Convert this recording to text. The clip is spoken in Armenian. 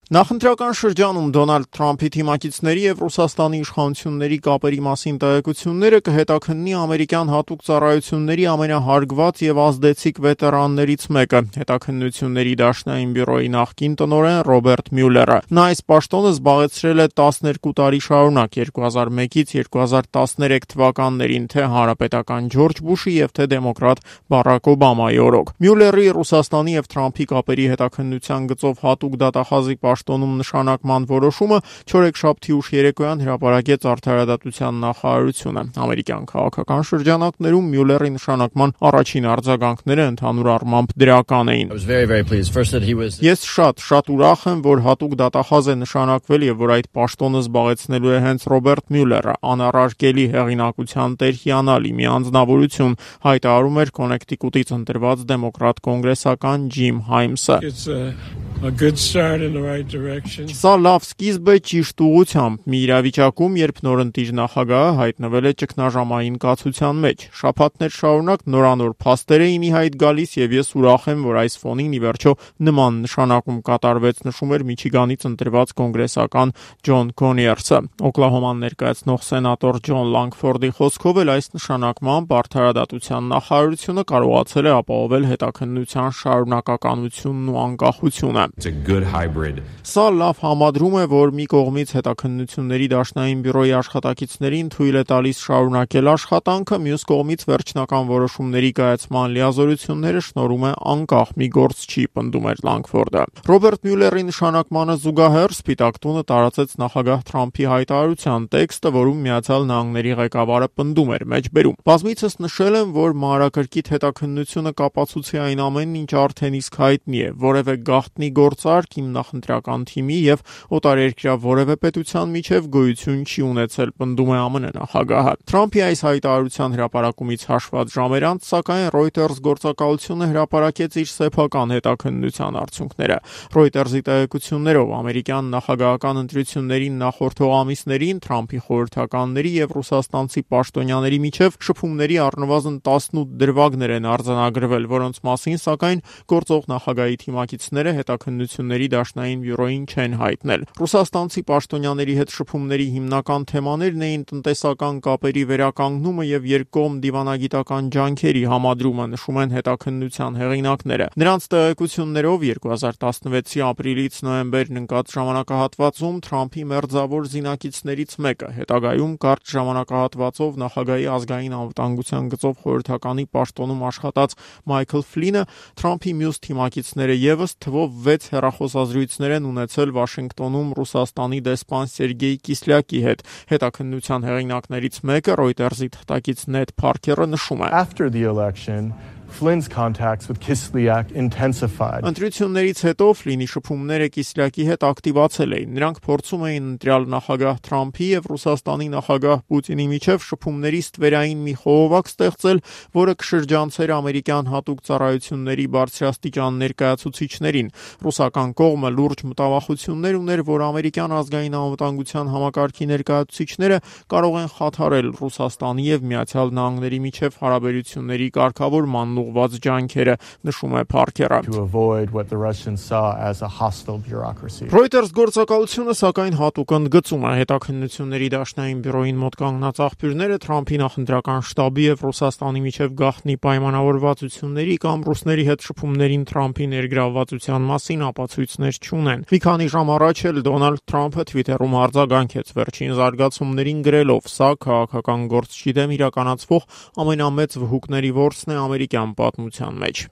Նախընտրական շրջանում Դոնալդ Թրամփի թիմակիցների եւ Ռուսաստանի իշխանությունների կապերի մասին տեղեկությունները կհետաքննի ամերիկյան հատուկ ծառայությունների ամենահարգված եւ ազդեցիկ վետերաններից մեկը, հետաքննությունների դաշնային բյուրոյի նախկին տնօրեն Ռոբերտ Մյուլլերը։ Նա այս պաշտոնը զբաղեցրել է 12 տարի շարունակ 2001-ից 2013 թվականներին թե հանրապետական Ջորջ Բուշի եւ թե դեմոկրատ Բարակ Օբամայի օրոք։ Մյուլլերի Ռուսաստանի եւ Թրամփի կապերի հետաքննության գծով հատուկ դատախազի պաշտոնում նշանակման որոշումը չորեքշաբթի ուշ երեկոյան հրապարակեց Արդարադատության նախարարությունը։ Ամերիկյան քաղաքական շրջանակներում Մյուլլերի նշանակման առաջին արձագանքները ընդհանուր առմամբ դրական էին։ Ես շատ ուրախ եմ, որ հատուկ դատախազ է նշանակվել եւ որ այդ պաշտոնը զբաղեցնելու է հենց Ռոբերտ Մյուլլերը, անառարկելի հեղինակության տեր հիանալի մի անձնավորություն, հայտարարում էր Կոնեկտիկուտից ընտրված դեմոկրատ կոնգրեսական Ջիմ Հայմսը։ Սա լավ սկիզբ է ճիշտ ուղղությամբ մի իրավիճակում, երբ նորընտիր նախագահը հայտնվել է ճգնաժամային կացության մեջ։ Շաբաթներ շարունակ նորանոր փաստեր էին ի հայտ գալիս եւ ես ուրախ եմ, որ այս ֆոնին ի վերջո նման նշանակում կատարվեց, նշում էր Միչիգանից ընտրված կոնգրեսական Ջոն Կոնիերսը։ Օկլահոման ներկայացնող սենատոր Ջոն Լանգֆորդի խոսքով էլ այս նշանակմամբ Արդարադատության նախարարությունը կարողացել է ապահովել հետաքննության շարունակականությունն ու անկախությունը։ Սա լավ համադրում է, որ մի կողմից հետաքննությունների դաշնային բյուրոյի աշխատակիցներին թույլ է տալիս շարունակել աշխատանքը, մյուս կողմից վերջնական որոշումների կայացման լիազորությունները շնորհում է անկախ մի գործչի, պնդում էր Լանգֆորդը։ Ռոբերտ Մյուլլերի նշանակմանը զուգահեռ Սպիտակ տունը տարածեց նախագահ Թրամփի հայտարարության տեքստը, որում Միացյալ Նահանգների ղեկավարը պնդում էր մեջբերում։ Բազմիցս նշել եմ, որ մանրակրկիտ հետաքննությունը կապացուցի այն ամենն, ինչ արդեն իսկ հայտնի է, որևէ գաղտնի գործարք իմ նախընտրական թիմի եւ օտարերկրյա որևէ պետության միջև գոյություն չի ունեցել, պնդում է ԱՄՆ նախագահը։ Թրամփի այս հայտարարության հրապարակումից հաշված ժամեր անց, սակայն Reuters գործակալությունը հրապարակեց իր սեփական հետաքննության արդյունքները։ Reuters-ի տեղեկություններով ամերիկյան նախագահական ընտրություններին նախորդող ամիսներին Թրամփի խորհրդականների եւ ռուսաստանցի պաշտոնյաների միջև շփումների առնվազն 18 դրվագներ են արձանագրվել, որոնց մասին սակայն գործող նախագահի թիմակիցները հետաքննությունների դաշնային բյուրոյին չեն հայտնել։ Ռուսաստանցի պաշտոնյաների հետ շփումների հիմնական թեմաներն էին տնտեսական կապերի վերականգնումը եւ երկկողմ դիվանագիտական ջանքերի համադրումը, նշում են հետաքննության հեղինակները։ Նրանց տեղեկություններով 2016-ի ապրիլից նոյեմբերն ընկած ժամանակահատվածում Թրամփի մերձավոր զինակիցներից մեկը, հետագայում կարճ ժամանակահատվածով նախագահի ազգային անվտանգության գծով խորհրդականի պաշտոնում աշխատած Մայքլ Ֆլինը, Թրամփի մյուս թիմակիցները եւս թվով 6 հեռախոսազրույցներ են ունեցել Վաշինգտոնում Ռուսաստանի դեսպան Սերգեյ Կիսլյակի հետ։ Հետաքննության հեղինակներից մեկը Reuters-ի թղթակից Նեդ Փարքերը նշում է. After the election, Flynn's contacts with Kislyak intensified. Ընտրություններից հետո Ֆլինի շփումները Կիսլյակի հետ ակտիվացել էին։ Նրանք փորձում էին ընտրյալ նախագահ Թրամփի եւ Ռուսաստանի նախագահ Պուտինի միջև շփումների ստվերային մի խողովակ ստեղծել, որը կշրջանցեր ամերիկյան հատուկ ծառայությունների բարձրաստիճան ներկայացուցիչներին։ Ռուսական կողմը լուրջ մտավախություններ ուներ, որ ամերիկյան ազգային անվտանգության համակարգի ներկայացուցիչները կարող են խաթարել Ռուսաստանի եւ Միացյալ Նահանգների միջև հարաբերությունների կարգավորման ուղղված ջանքերը, նշում է Փարքերը։ Reuters գործակալությունը սակայն հատուկ ընդգծում է հետաքննությունների դաշնային բյուրոյին մոտ կանգնած աղբյուրները Թրամփի նախընտրական շտաբի եւ Ռուսաստանի միջև գաղտնի պայմանավորվածությունների կամ ռուսների հետ շփումներին Թրամփի ներգրավվածության մասին ապացույցներ չունեն։ Մի քանի ժամ առաջ էլ Դոնալդ Թրամփը Twitter-ում արձագանքեց վերջին զարգացումներին գրելով. «Սա քաղաքական գործչի դեմ իրականացվող ամենամեծ վհուկների որսն է ամերիկյան պատմության մեջ»։